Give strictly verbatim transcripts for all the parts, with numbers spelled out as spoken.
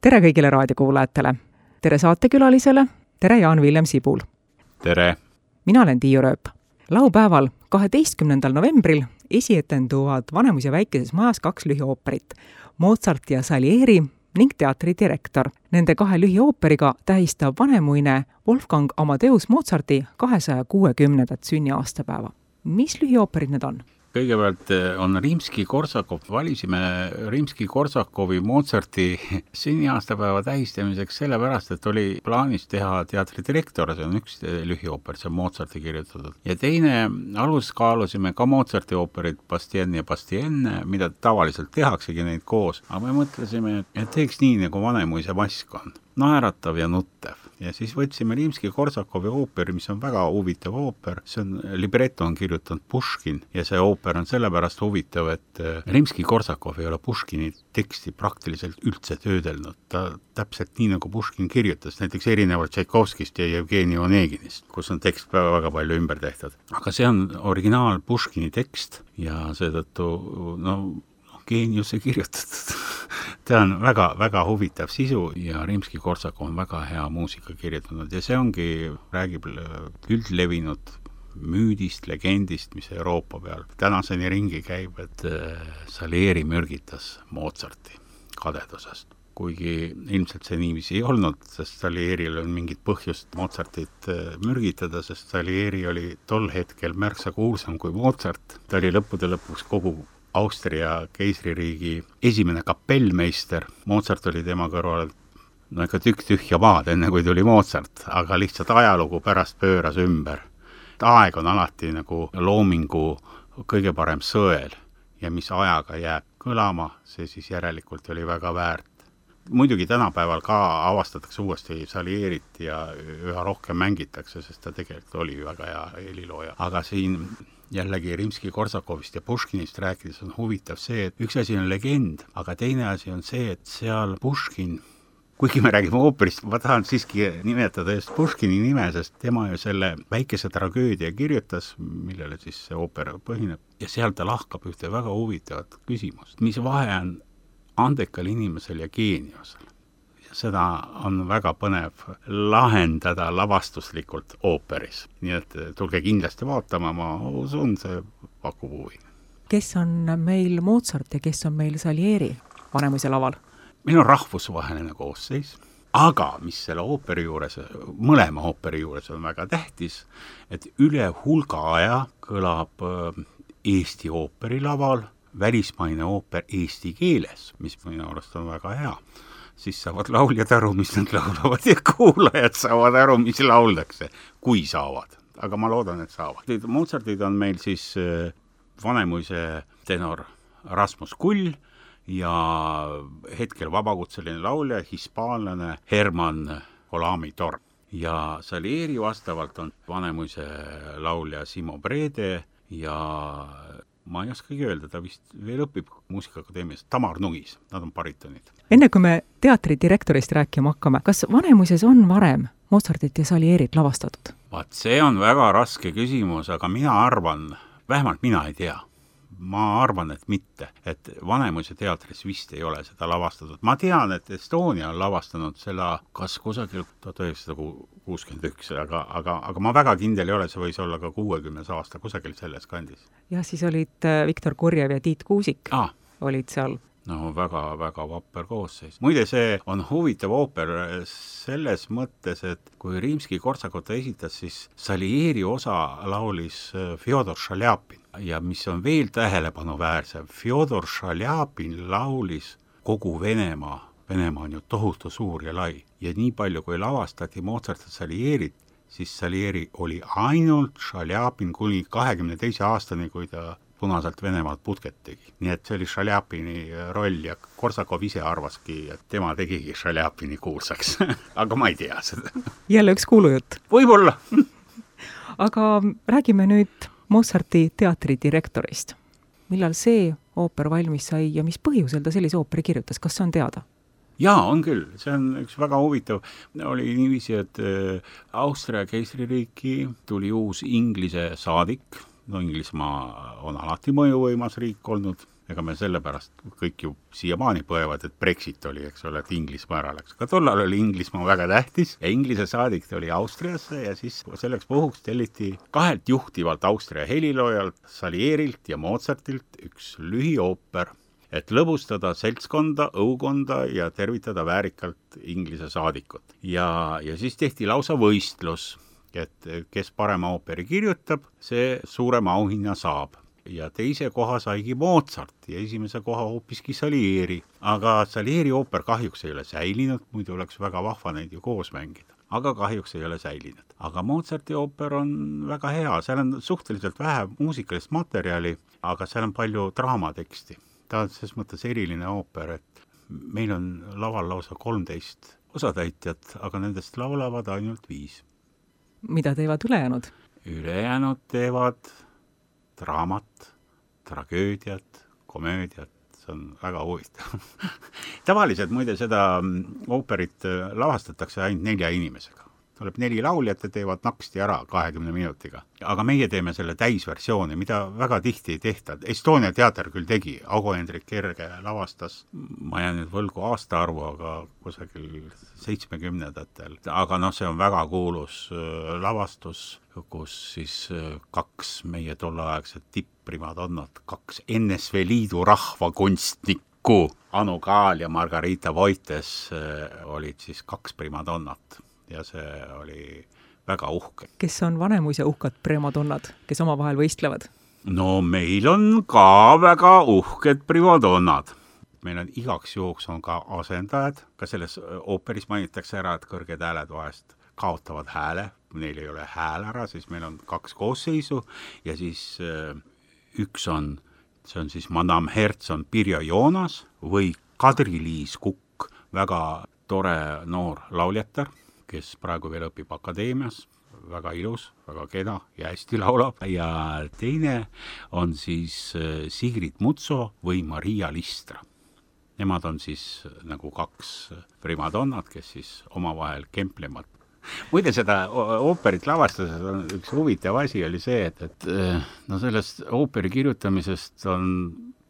tere kõigile raadiokuulajatele. Tere saatekülalisele, tere Jaan-Villem Sibul. Tere! Mina olen Tiiu Rööp. Laupäeval, kaheteistkümnendal novembril esietenduvad Vanemuise väikeses majas kaks lühiooperit, Mozart ja Salieri ning teatridirektor. Nende kahe lühiooperiga tähistab Vanemuine Wolfgang Amadeus Mozarti kahesaja kuuekümnendat sünniaastapäeva. Mis lühiooperid need on? Kõigepealt on Rimski-Korsakov. Valisime Rimski-Korsakovi Mozarti sünniaastapäeva tähistamiseks sellepärast, et oli plaanis teha teatridirektor, see on üks lühiooper, see on Mozarti kirjutatud. Ja teine alus kaalusime ka Mozarti ooperid Bastien ja Bastien, mida tavaliselt tehaksegi neid koos. Aga me mõtlesime, et teeks nii, nagu Vanemuise mask on. Naeratav ja nuttev. Ja siis võtsime Rimski-Korsakovi ooperi, mis on väga huvitav ooper. See on, libretto on kirjutanud Puškin ja see ooper on sellepärast huvitav, et Rimski-Korsakov ei ole Puškini teksti praktiliselt üldse töödelnud. Ta täpselt nii, nagu Puškin kirjutas, näiteks erinevalt Tšaikovskist ja Jevgeni Oneginist, kus on tekst väga palju ümber tehtud. Aga see on originaal Puškini tekst ja seetõttu, no, geeniuse kirjutatud. Ta on väga, väga huvitav sisu ja Rimski-Korsakov on väga hea muusika kirjutanud ja see ongi, räägib üldlevinud müüdist, legendist, mis Euroopa peal tänaseni ringi käib, et Salieri mürgitas Mozarti kadedusest. Kuigi ilmselt see niiviisi ei olnud, sest Salieril on mingit põhjust Mozartit mürgitada, sest Salieri oli tol hetkel märksa kuulsam kui Mozart. Ta oli lõppude lõpuks kogu Austria keisririigi esimene kapellmeister. Mozart oli tema kõrval no ikka tükk tühja maad, enne kui tuli Mozart, aga lihtsalt ajalugu pärast pööras ümber. Aeg on alati nagu loomingu kõige parem sõel ja mis ajaga jääb kõlama, see siis järelikult oli väga väärt. Muidugi tänapäeval ka avastatakse uuesti Salierit ja üha rohkem mängitakse, sest ta tegelikult oli väga hea helilooja. Aga siin jällegi Rimski-Korsakovist ja Puškinist rääkides on huvitav see, et üks asi on legend, aga teine asi on see, et seal Puškin, kuigi me räägime ooperist, ma tahan siiski nimetada just Puškini nime, sest tema ju selle väikese tragöödia kirjutas, millele siis see ooper põhineb, ja seal ta lahkab ühte väga huvitavat küsimust. Mis vahe on andekal inimesel ja geeniusel? Seda on väga põnev lahendada lavastuslikult ooperis. Nii et tulge kindlasti vaatama, ma usun, see pakub huvi. Kes on meil Mozart ja kes on meil Salieri Vanemuise laval? Meil on rahvusvaheline koosseis, aga mis selle ooperi juures, mõlema ooperi juures on väga tähtis, et üle hulga aja kõlab Eesti ooperi laval välismaine ooper eesti keeles, mis minu arust on väga hea. Siis saavad lauljad aru, mis nad laulavad ja kuulajad saavad aru, mis lauldakse, kui saavad. Aga ma loodan, et saavad. Mozartid on meil siis Vanemuise tenor Rasmus Kull ja hetkel vabakutseline laulja, hispaanlane Herman Olami Torm. Ja Salieri vastavalt on Vanemuise laulja Simo Brede ja ma ei oskagi öelda, ta vist veel õpib muusikaakadeemias, Tamar Nugis, nad on baritonid. Enne kui me teatridirektorist rääkima hakkame, kas Vanemuises on varem Mozartit ja Salierit lavastatud? Vaat see on väga raske küsimus, aga mina arvan, vähemalt mina ei tea. Ma arvan, et mitte, et Vanemuise teatris vist ei ole seda lavastatud. Ma tean, et Estonia on lavastanud selle kas kusagil tuhat üheksasada kuuskümmend üks, aga, aga, aga ma väga kindel ei ole, see võis olla ka kuuekümnes aasta kusagil selles kandis. Ja siis olid Viktor Kurjev ja Tiit Kuusik ah. olid seal. No väga, väga vapper koosseis. Muide, see on huvitav ooper selles mõttes, et kui Rimski-Korsakov esitas, siis Salieri osa laulis Fjodor Šaljapin. Ja mis on veel tähelepanuväärsem, Fjodor Šaljapin laulis kogu Venemaa. Venemaa on ju tohutu suur ja lai. Ja nii palju, kui lavastati Mozart ja Salierit, siis Salieri oli ainult Šaljapin kuni kahekümne teise aastani, kui ta punaselt Venemaalt putket tegi. Nii et see oli Šaljapini roll ja Korsakov ise arvaski, et tema tegigi Šaljapini kuulsaks. Aga ma ei tea seda. Jälle üks kuulujutt. Võib-olla. Aga räägime nüüd Mozarti teatridirektorist. Millal see ooper valmis sai ja mis põhjusel ta sellise ooperi kirjutas? Kas see on teada? Jaa, on küll. See on üks väga huvitav. Oli niiviisi, et Austria keisririiki tuli uus Inglise saadik. No Inglismaa on alati mõjuvõimas riik olnud ega me sellepärast kõik ju siiamaani põevad, et Brexit oli, eks ole, et Inglismaa ära läks. Aga tollal oli Inglismaa väga tähtis ja Inglise saadik tuli Austriasse ja siis selleks puhuks telliti kahelt juhtivalt Austria heliloojalt, Salierilt ja Mozartilt üks lühiooper, et lõbustada seltskonda, õukonda ja tervitada väärikalt Inglise saadikut. Ja, ja siis tehti lausa võistlus, et kes parema ooperi kirjutab, see suurema auhinna saab. Ja teise koha saigi Mozart ja esimese koha hoopiski Salieri. Aga Salieri ooper kahjuks ei ole säilinud, muidu oleks väga vahva neid ju koos mängida. Aga kahjuks ei ole säilinud. Aga Mozarti ooper on väga hea, seal on suhteliselt vähe muusikalist materjali, aga seal on palju draamateksti. Ta on selles mõttes eriline ooper, et meil on laval lausa kolmteist osatäitjat, aga nendest laulavad ainult viis. Mida teevad ülejäänud? Ülejäänud teevad draamat, tragöödiat, komöödiat, see on väga huvitav. Tavaliselt muide seda ooperit lavastatakse ainult nelja inimesega. Tuleb neli lauljat ja teevad naksti ära kahekümne minutiga. Aga meie teeme selle täisversiooni, mida väga tihti ei tehta. Estonia teater küll tegi, Augo-Hendrik Kerge lavastas, ma jään nüüd võlgu aastaarvu, aga kusagil seitsmekümnendatel. Aga noh, see on väga kuulus lavastus, kus siis kaks meie tolleaegset tipprimadonnat, kaks N S V Liidu rahvakunstnikku, Anu Kaal ja Margarita Voites olid siis kaks primadonnat. Ja see oli väga uhke. Kes on Vanemuise uhkad primadonnad, kes omavahel võistlevad? No meil on ka väga uhked primadonnad. Meil on igaks juhuks on ka asendajad, ka selles ooperis mainitakse ära, et kõrged hääled vahest kaotavad hääle, neil ei ole hääl ära, siis meil on kaks koosseisu ja siis üks on, see on siis Madame Hertz on Pirjo Joonas või Kadri-Liis Kukk, väga tore noor lauljatar, kes praegu veel õpib akadeemias, väga ilus, väga kena ja hästi laulab. Ja teine on siis Sigrid Mutso või Maria Listra. Nemad on siis nagu kaks primadonnad, kes siis omavahel kemplevad. Muide seda ooperit lavastuses on üks huvitav asi oli see, et, et no sellest ooperi kirjutamisest on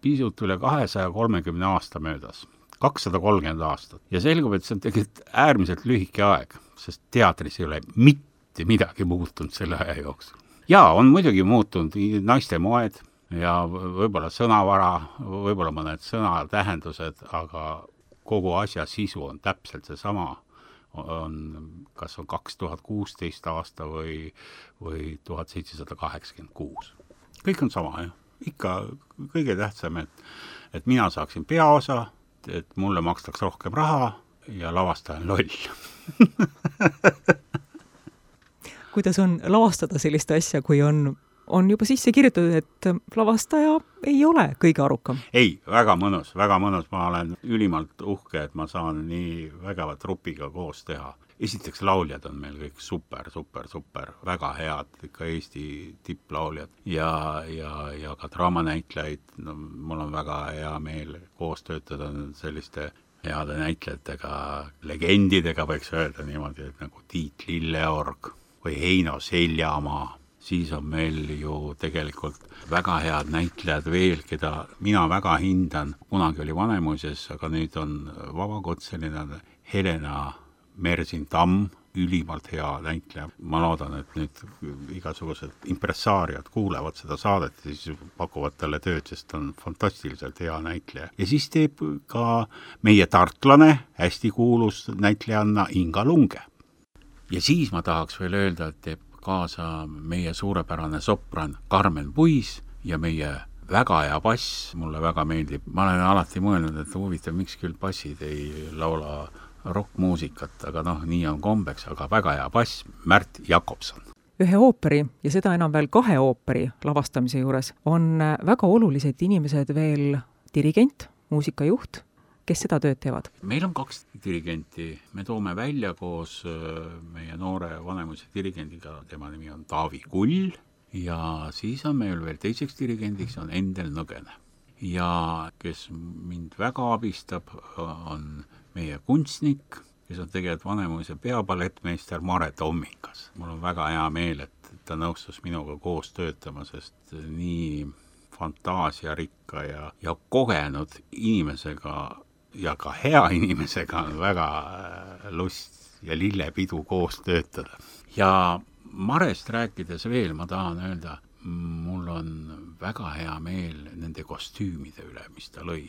pisut üle kahesaja kolmekümne aasta möödas. kakssada kolmkümmend aastat. Ja selgub, et see on tegelikult äärmiselt lühike aeg, sest teatris ei ole mitte midagi muutunud selle aja jooksul. Jaa, on muidugi muutunud naiste moed ja võib-olla sõnavara, võib-olla mõned sõnatähendused, aga kogu asja sisu on täpselt see sama. On, kas on kaks tuhat kuusteist aasta või, või tuhat seitsesada kaheksakümmend kuus. Kõik on sama, jah. Ikka kõige tähtsam, et, et mina saaksin peaosa, et mulle makstaks rohkem raha ja lavastajan loll. Kuidas on lavastada sellist asja, kui on, on juba sisse kirjutatud, et lavastaja ei ole kõige arukam? Ei, väga mõnus, väga mõnus. Ma olen ülimalt uhke, et ma saan nii vägeva trupiga koos teha. Esiteks lauljad on meil kõik super, super, super, väga head, ikka Eesti tipplauljad ja, ja, ja ka draamanäitlejaid. No, mul on väga hea meel koos töötada selliste heade näitlejatega, legendidega võiks öelda niimoodi, et nagu Tiit Lilleorg või Heino Seljamaa. Siis on meil ju tegelikult väga head näitlejad veel, keda mina väga hindan. Kunagi oli Vanemuises, aga nüüd on vabakutseline Helena Mersin-Tamm, ülimalt hea näitleja. Ma loodan, et nüüd igasugused impressaariad kuulevad seda saadet ja siis pakuvad talle tööd, sest on fantastiliselt hea näitleja. Ja siis teeb ka meie tartlane, hästi kuulus näitlejanna Inga Lunge. Ja siis ma tahaks veel öelda, et teeb kaasa meie suurepärane sopran Carmen Puis ja meie väga hea bass, mulle väga meeldib. Ma olen alati mõelnud, et huvitav, miks küll bassid ei laula rockmuusikat, aga noh, nii on kombeks, aga väga hea bass, Märt Jakobson. Ühe ooperi ja seda enam veel kahe ooperi lavastamise juures on väga olulised inimesed veel dirigent, muusikajuht, kes seda tööd teevad? Meil on kaks dirigenti. Me toome välja koos meie noore Vanemuise dirigendiga, tema nimi on Taavi Kull ja siis on meil veel teiseks dirigendiks on Endel Nõgene. Ja kes mind väga abistab, on meie kunstnik, kes on tegelikult Vanemuise peapalettmeister Mare Tommikas. Mul on väga hea meel, et ta nõustus minuga koos töötama, sest nii fantaasiarikka ja, ja kogenud inimesega ja ka hea inimesega on väga lust ja lillepidu koos töötada. Ja Marest rääkides veel ma tahan öelda, mul on väga hea meel nende kostüümide üle, mis ta lõi.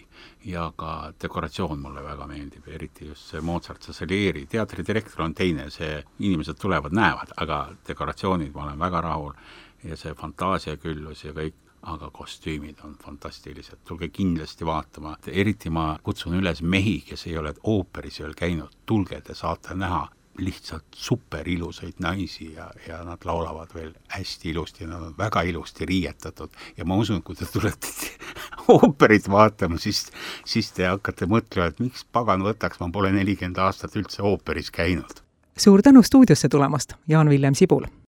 Ja ka dekoratsioon mulle väga meeldib, eriti just see Mozart Salieri. Teatridirektor on teine, see inimesed tulevad, näevad, aga dekoratsioonid ma olen väga rahul ja see fantaasiaküllus ja kõik, aga kostüümid on fantastilised. Tulge kindlasti vaatama. Eriti ma kutsun üles mehi, kes ei ole ooperis veel käinud. Tulge, te saate näha lihtsalt super ilusaid naisi ja, ja nad laulavad veel hästi ilusti, nad on väga ilusti riietatud ja ma usun, kui te tulete ooperit vaatama, siis, siis te hakkate mõtlema, et miks pagan võtaks, ma pole nelikümmend aastat üldse ooperis käinud. Suur tänu stuudiosse tulemast, Jaan-Villem Sibul!